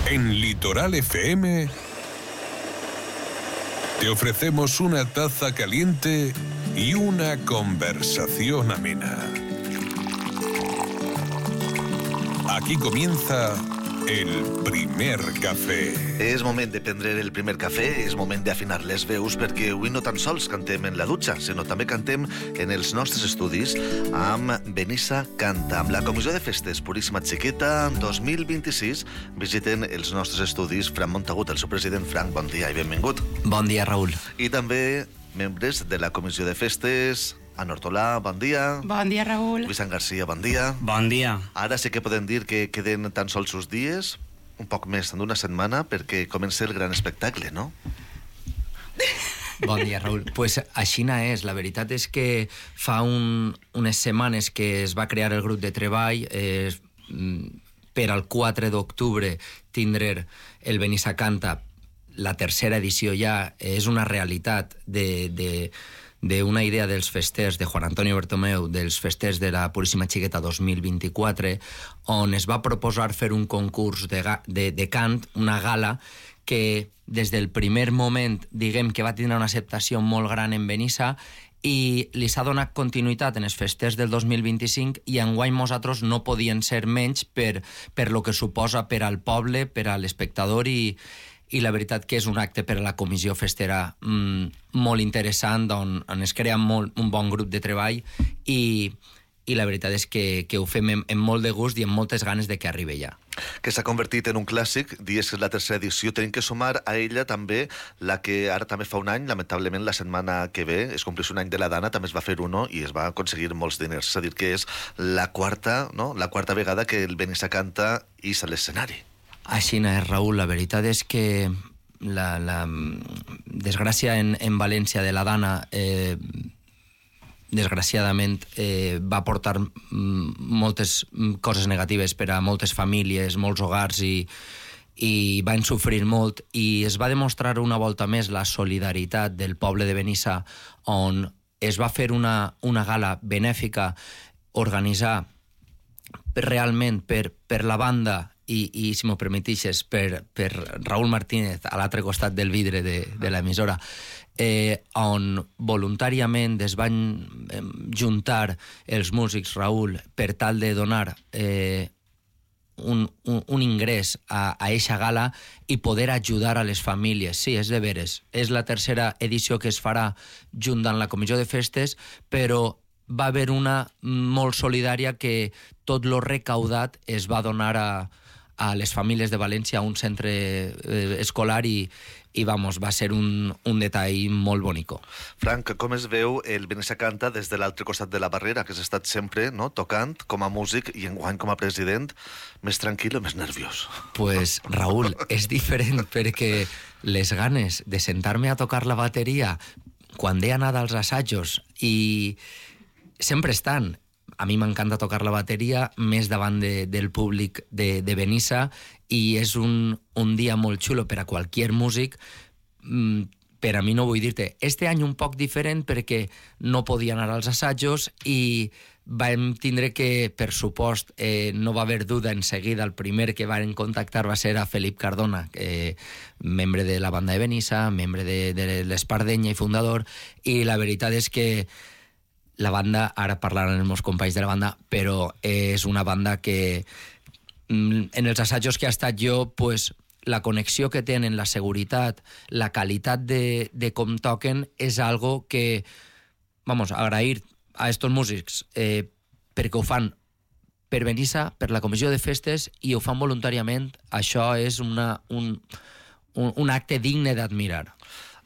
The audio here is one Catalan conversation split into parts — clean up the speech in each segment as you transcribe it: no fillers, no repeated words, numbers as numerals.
En Litoral FM te ofrecemos una taza caliente y una conversación amena. Aquí comienza el primer cafè. És moment de prendre el primer cafè, és moment d'afinar les veus, perquè avui no tan sols cantem en la dutxa, sinó també cantem en els nostres estudis amb Benissa Canta. Amb la Comissió de Festes Puríssima Xiqueta 2026 visiten els nostres estudis Fran Montagut, el seu president. Fran, bon dia i benvingut. Bon dia, Raül. I també membres de la Comissió de Festes, Ana Hortolà, bon dia. Bon dia, Raül. Vicent Garcia, bon dia. Bon dia. Ara sí que podem dir que queden tan sols uns dies, un poc més d'una setmana, perquè comença el gran espectacle, no? Bon dia, Raül. Pues aixina és. La veritat és que fa unes setmanes que es va crear el grup de treball per al 4 d'octubre tindre el Benissa Canta, la tercera edició ja, és una realitat d'una idea dels festers de Juan Antonio Bertomeu, dels festers de la Puríssima Xiqueta 2024, on es va proposar fer un concurs de cant, una gala que des del primer moment, diguem que va tindre una acceptació molt gran en Benissa i li s'ha donat continuïtat en els festers del 2025 i enguany nosaltres no podien ser menys per lo que suposa per al poble, per a l'espectador i la veritat que és un acte per a la comissió festera molt interessant, on es crea un bon grup de treball i la veritat és que ho fem amb molt de gust i amb moltes ganes de que arribi ja. Que s'ha convertit en un clàssic, dies que és la tercera edició, tenim que sumar a ella també la que ara també fa un any, lamentablement la setmana que ve, es compleix un any de la Dana, també es va fer uno i es va aconseguir molts diners, és a dir, que és la quarta vegada que el Benissa Canta ix a l'escenari. Així és, Raül. La veritat és que la desgràcia en València de la Dana desgraciadament va portar moltes coses negatives per a moltes famílies, molts hogars i van sofrir molt i es va demostrar una volta més la solidaritat del poble de Benissa, on es va fer una gala benèfica, organitzar realment per la banda i si m'ho permetixes, per Raúl Martínez a l'altre costat del vidre de l'emissora, on voluntàriament es van juntar els músics, Raúl, per tal de donar un ingrés a eixa gala i poder ajudar a les famílies. Sí, és de veres. És la tercera edició que es farà junt amb la Comissió de Festes, però va haver una molt solidària que tot lo recaudat es va donar a les famílies de València, a un centre escolar i va ser un detall molt bonico. Frank, com es veu el Benissa Canta des de l'altre costat de la barrera, que has estat sempre tocant com a músic i enguany com a president, més tranquil o més nerviós? Pues, Raül, és diferent perquè les ganes de sentar-me a tocar la bateria quan he anat als assajos i sempre estan. A mi m'encanta tocar la bateria més davant del públic de Benissa i és un dia molt xulo per a qualsevol músic. Per a mi no vull dir-te, este any un poc diferent perquè no podia anar als assajos i vam tindre que, per supost, no va haver duda en seguida, el primer que van contactar va ser a Felip Cardona, membre de la banda de Benissa, membre de l'Espardenya i fundador, i la veritat és que la banda, ara parlaran els meus companys de la banda, però és una banda que en els assajos que ha estat jo, pues, la connexió que tenen, la seguretat, la qualitat de com toquen és algo que, agrair a estos músics perquè ho fan per Benissa, per la Comissió de Festes i ho fan voluntàriament. Això és un acte digne d'admirar.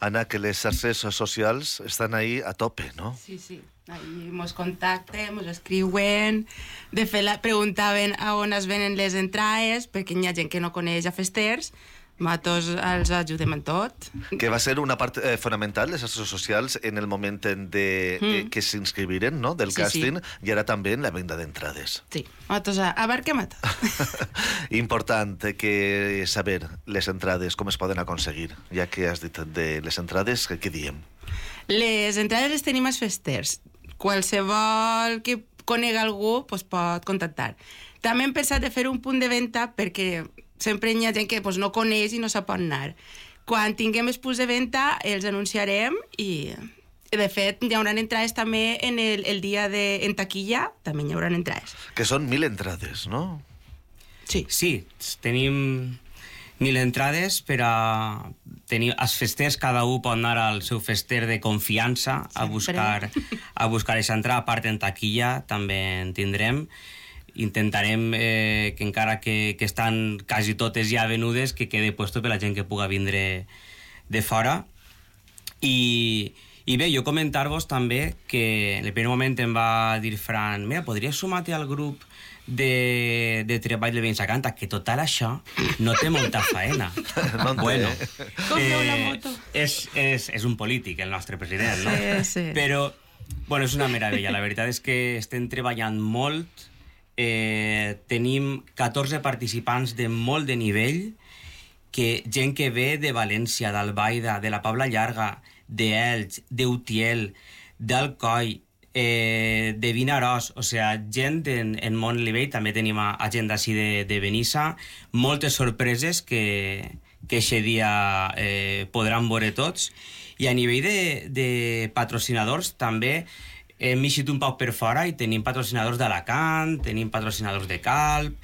Anna, que les xarxes socials estan ahí a tope, no? Sí. Ahí mos contacten, mos escriuen. De fet, preguntaven a on es venen les entrades, perquè hi ha gent que no coneix a festers. Nosaltres els ajudem en tot. Que va ser una part fonamental, les xarxes socials, en el moment que s'inscriviren, no?, del càsting, i ara també en la venda d'entrades. Sí, nosaltres abarquem a tot. Important que saber les entrades, com es poden aconseguir. Ja que has dit de les entrades, què diem? Les entrades les tenim als festers. Qualsevol que conega algú pot contactar. També hem pensat de fer un punt de venda perquè sempre hi ha gent que no coneix i no sap on anar. Quan tinguem els punts de venda els anunciarem i de fet hi haurà entrades també el dia en taquilla, també hi haurà entrades. Que són 1.000 entrades, no? Sí. Sí, tenim 1.000 entrades per a tenir els festers, cada un pot anar al seu fester de confiança a buscar aquesta entrada. A part, en taquilla també en tindrem. Intentarem que encara que estan quasi totes ja venudes, que quede puesto per la gent que puga vindre de fora. I bé, jo comentar-vos també que en el primer moment em va dir Fran, mira, podries sumar-te al grup de treball de Benissa Canta, que total això no té molta faena. No en té. Bueno, Compreu la moto. és un polític, el nostre president, no? Sí. Però, bueno, és una meravella. La veritat és que estem treballant molt. Tenim 14 participants de molt de nivell, gent que ve de València, d'Albaida, de la Pobla Llarga, d'Elx, d'Utiel, d'Alcoi, de Vinaròs, o sigui, gent en molt nivell. També tenim gent d'ací de Benissa, moltes sorpreses que aquest dia podran veure tots. I a nivell de patrocinadors també hem eixit un poc per fora i tenim patrocinadors d'Alacant, tenim patrocinadors de Calp,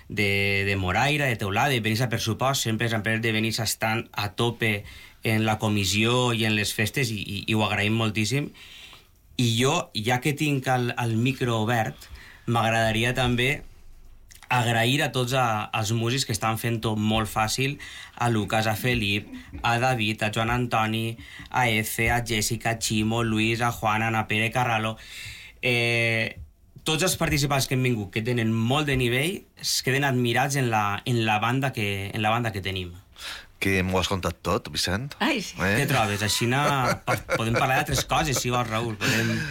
de Moraira, de Teulada, de Benissa, per supost. Sempre les empreses de Benissa estan a tope en la comissió i en les festes i ho agraïm moltíssim. I jo, ja que tinc el micro obert, m'agradaria també agrair a tots els músics que estan fent-ho molt fàcil, a Lucas, a Felip, a David, a Joan Antoni, a Efe, a Jessica, a Ximo, Luis, a Juan, a Ana Pere Carralo. Tots els participants que han vingut, que tenen molt de nivell, es queden admirats en la banda que tenim. Que m'ho has contat tot, Vicent. Ai, sí. Què trobes? Així podem parlar d'altres coses, si vols, Raül.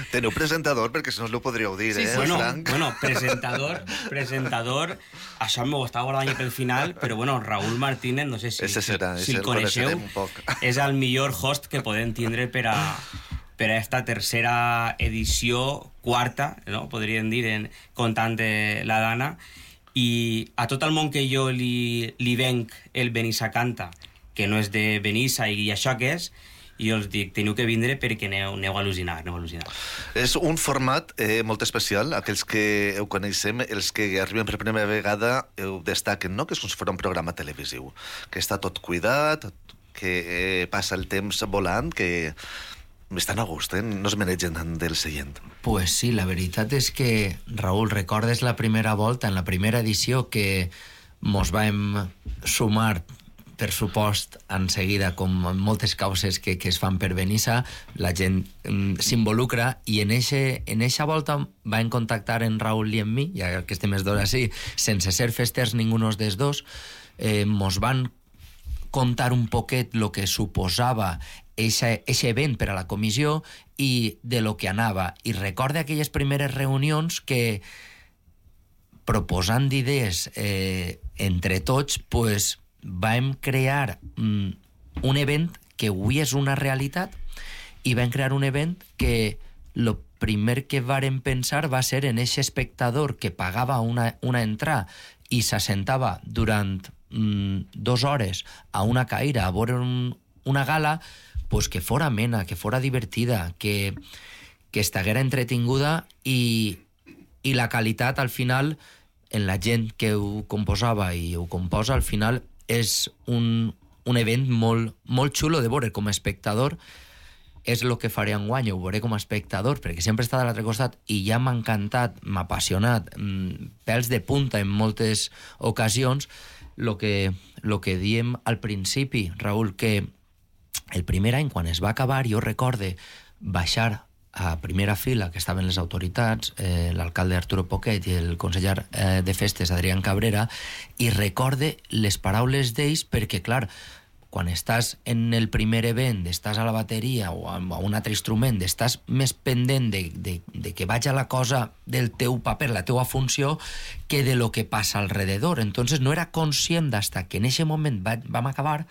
Teniu presentador, perquè si no us ho podríeu dir, Sí, sí. Frank? Bueno, presentador, això m'ho estava guardant pel final, però bueno, Raül Martínez, no sé si el coneixeu, és el millor host que podem tindre per a esta tercera edició, quarta, no? Podríem dir, comptant la Dana. I a tot el món que jo li venc el Benissa Canta, que no és de Benissa i això que és, i els dic, teniu que vindre perquè aneu a al·lucinar. És un format molt especial. Aquells que ho coneixem, els que arriben per primera vegada, ho destaquen, no? Que és com si fos un programa televisiu, que està tot cuidat, que passa el temps volant, que estan a gust, no es menegen tant del seient. Pues sí, la veritat és que, Raül, recordes la primera volta, en la primera edició, que mos vam sumar, per supost, en seguida, com moltes causes que es fan per Benissa, la gent s'involucra, i en eixa volta van contactar en Raül i en mi, ja que estem els dos així, sense ser festers ningunos dels dos, mos van contar un poquet lo que suposava eixe event per a la comissió i de lo que anava. I recorde aquelles primeres reunions que, proposant idees entre tots, pues, vam crear un event que avui és una realitat, i vam crear un event que lo primer que vàrem pensar va ser en eixe espectador que pagava una entrada i s'assentava durant 2 hores a una caïra a veure una gala, pues que fora amena, que fora divertida, que estaguera entretinguda, i la qualitat al final en la gent que ho composava i ho composa, al final és un event molt, molt xulo de veure com a espectador. És el que faré enguany, ho veuré com a espectador, perquè sempre està de l'altre costat i ja m'ha encantat, m'ha apassionat, pèls de punta en moltes ocasions, lo que diem al principi, Raül, que el primer any, quan es va acabar, jo recorde baixar a primera fila, que estaven les autoritats, l'alcalde Arturo Poquet i el conseller de festes Adrián Cabrera, i recorde les paraules d'ells, perquè, clar, quan estàs en el primer event, estàs a la bateria o a un altre instrument, estàs més pendent de que vaja la cosa del teu paper, la teua funció, que de lo que passa alrededor. Entonces no era conscient d'hasta que en aquest moment vam acabar,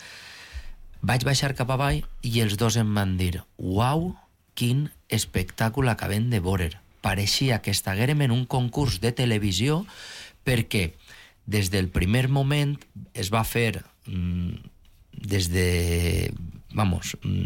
vaig baixar cap avall i els dos em van dir: uau, quin espectacle acabem de veure. Pareixia que estiguérem en un concurs de televisió, perquè des del primer moment es va fer des de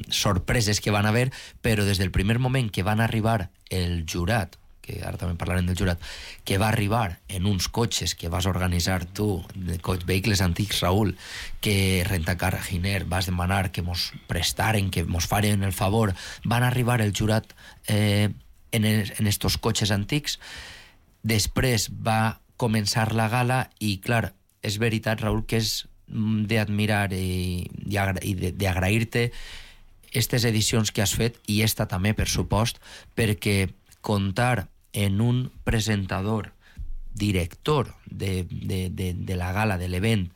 sorpreses que van haver, però des del primer moment que van arribar el jurat, que ara també parlarem del jurat, que va arribar en uns cotxes que vas organitzar tu, de vehicles antics, Raül, que Rentacar Giner vas demanar que mos prestaren, que mos faren el favor, van arribar el jurat en estos cotxes antics. Després va començar la gala i, clar, és veritat, Raül, que és d'admirar i d'agrair-te aquestes edicions que has fet, i esta també, per supost, perquè comptar en un presentador, director de la gala, de l'event,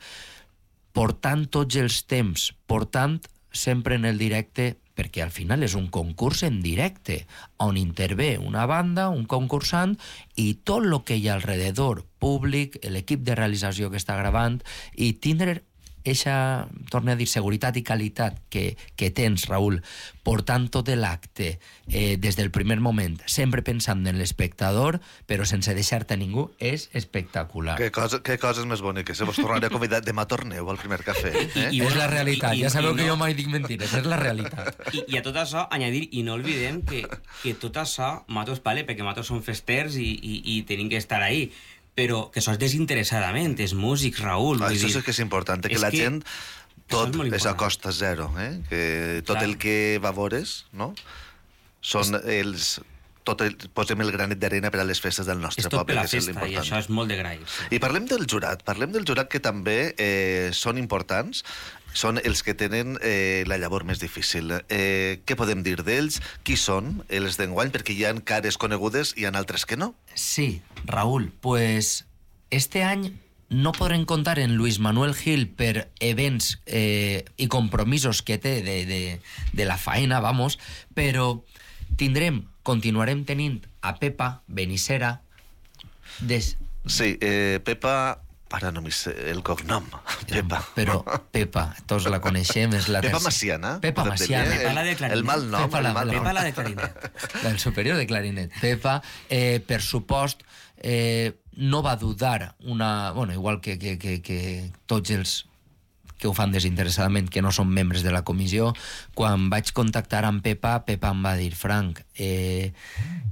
portant tots els temps, portant sempre en el directe, perquè al final és un concurs en directe, on intervé una banda, un concursant, i tot el que hi ha alrededor, públic, l'equip de realització que està gravant, i tindre eixa, torno a dir, seguretat i qualitat que tens, Raül, portant tot l'acte des del primer moment, sempre pensant en l'espectador, però sense deixar-te a ningú, és espectacular. Què coses més boniques. Vos tornaré a convidar demà torneu al primer cafè. És la realitat, ja sabeu que jo mai dic mentires, és la realitat. I a tot això, añadir, i no oblidem que tot això, nosaltres, perquè nosaltres som festers i tenim que estar ahí, però que sos desinteressadament, és músics, Raül. Això sí que és important, que la gent tot és a costa zero, que tot el que va veures, no? Són els... Posem el granet d'arena per a les festes del nostre poble, que és l'important. És tot per la festa, i això és molt de grair. I parlem del jurat que també són importants, són els que tenen la llavor més difícil. Què podem dir d'ells? Qui són els d'enguany? Perquè hi ha cares conegudes i hi ha altres que no. Sí, Raül, pues este any no podrem comptar en Luis Manuel Gil per events i compromisos que té de la faena, vamos, però continuarem tenint a Pepa Benissera. Sí, Pepa... Ara no m'hi sé el cognom. Pepa. Però Pepa, tots la coneixem. És la Pepa Maciana. Pepa Maciana. Pepa la de clarinet. El mal nom. Pepa la de clarinet. El superior de clarinet. Pepa, per supost, no va dudar igual que tots els que ho fan desinteressadament, que no són membres de la comissió. Quan vaig contactar amb Pepa em va dir: Frank, he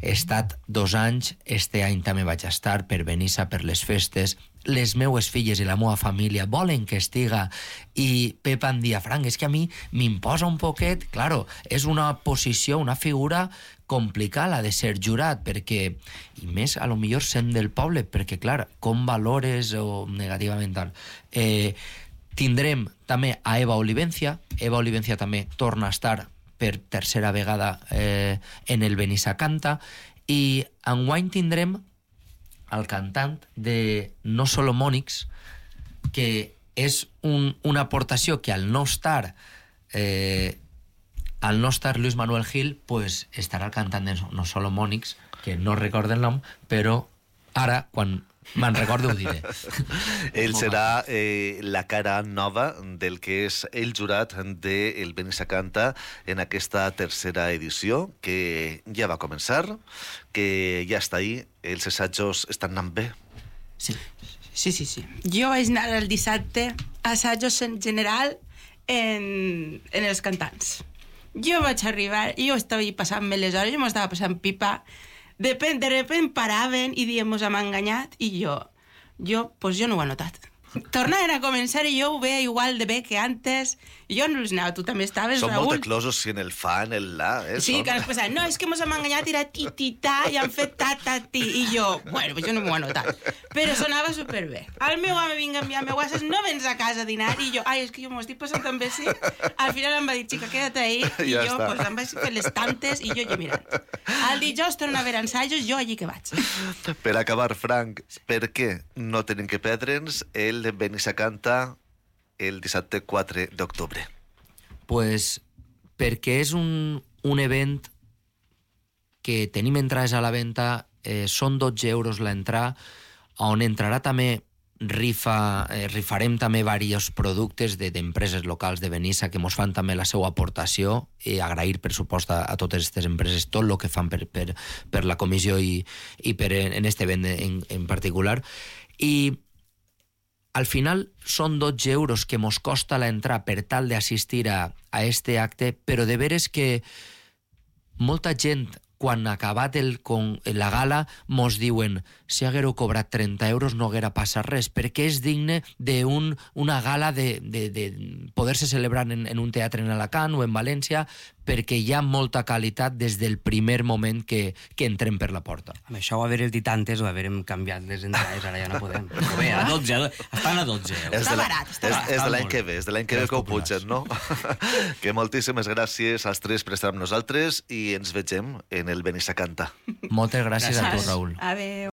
estat 2 anys, este any també vaig estar per Benissa, per les festes, les meues filles i la meva família volen que estiga. I Pepa em dia: Frank, és que a mi m'imposa un poquet, claro, és una posició, una figura complicada de ser jurat, perquè, i més a lo millor sent del poble, perquè clar, com valores o negativament tal. Tindrem també a Eva Olivencia també torna a estar per tercera vegada en el Benissa Canta, i enguany tindrem el cantant de No Solomònics, que és una aportació que al no estar Luis Manuel Gil, pues estarà el cantant de No Solomònics, que no recordo el nom, però ara, quan me'n recordo, ho diré. Ell serà la cara nova del que és el jurat del Benissa Canta en aquesta tercera edició, que ja va començar, que ja està ahí. Els assajos estan anant bé? Sí. Jo vaig anar el dissabte a assajos en general en els cantants. Jo vaig arribar, jo estava passant-me les hores, jo m'ho estava passant pipa. De repente paraven i diem, mos hem enganyat, i jo no ho he notat. Tornaven a començar i jo ho veia igual de bé que antes. Jo no els anava, tu també estaves, Raül. Són Raül. molt eclosos si en el fa, en el la. Sí, que ens pensaven, no, és que mos hem enganyat, era ti-ti-ta, i han fet ta-ta-ti. I jo, bueno, pues jo no m'ho he notat. Però sonava superbé. El meu home vinga a enviar-me WhatsApp, no vens a casa a dinar, i jo, és que jo m'ho estic passant tan bé, sí. Al final em va dir, xica, quédate ahí, i jo, pues em vaig fer les tantes, i jo allà mirant. El dijous torna a haver ensajos, jo allí que vaig. Per acabar, Frank, per què no tenim que perdre'ns el Benissa Canta el dissabte 4 d'octubre? Pues perquè és un event que tenim entrades a la venda, són 12 euros l'entrada, on entrarà també rifarem també diversos productes d'empreses locals de Benissa que mos fan també la seva aportació, i agrair per supost a totes aquestes empreses tot el que fan per la comissió i per en este event en particular. I al final són 12 euros que mos costa l'entrar per tal d'assistir a este acte, però de veres que molta gent, quan acabat la gala, mos diuen si haguéreu cobrat 30 euros no haguera passat res, perquè és digne d'una gala de poder-se celebrar en un teatre en Alacant o en València, perquè hi ha molta qualitat des del primer moment que entrem per la porta. Amb això ho haver dit antes o haverem canviat les entrades, ara ja no podem. Però bé, a 12, estan a 12 euros. Està barat, està barat. És de l'any que ve, és de l'any que ve que ho pugen, no? Que moltíssimes gràcies als tres per estar amb nosaltres i ens vegem en el Benissa Canta. Moltes gràcies a tu, Raül. Adéu.